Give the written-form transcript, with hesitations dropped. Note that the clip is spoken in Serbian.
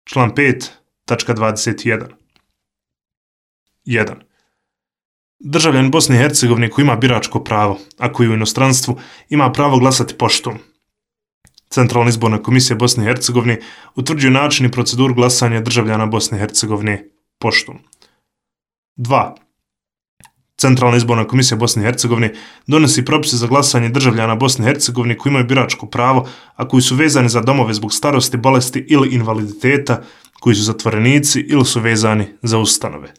Član 5, tačka 21. 1. Državljanin Bosne i Hercegovine koji ima biračko pravo, a koji u inostranstvu ima pravo glasati poštom. Centralna izborna komisija Bosne i Hercegovine utvrđuje način i proceduru glasanja državljana Bosne i Hercegovine poštom. 2. Centralna izborna komisija Bosne i Hercegovine donosi propise za glasanje državljana Bosne i Hercegovine koji imaju biračko pravo, a koji su vezani za domove zbog starosti, bolesti ili invaliditeta, koji su zatvorenici ili su vezani za ustanove.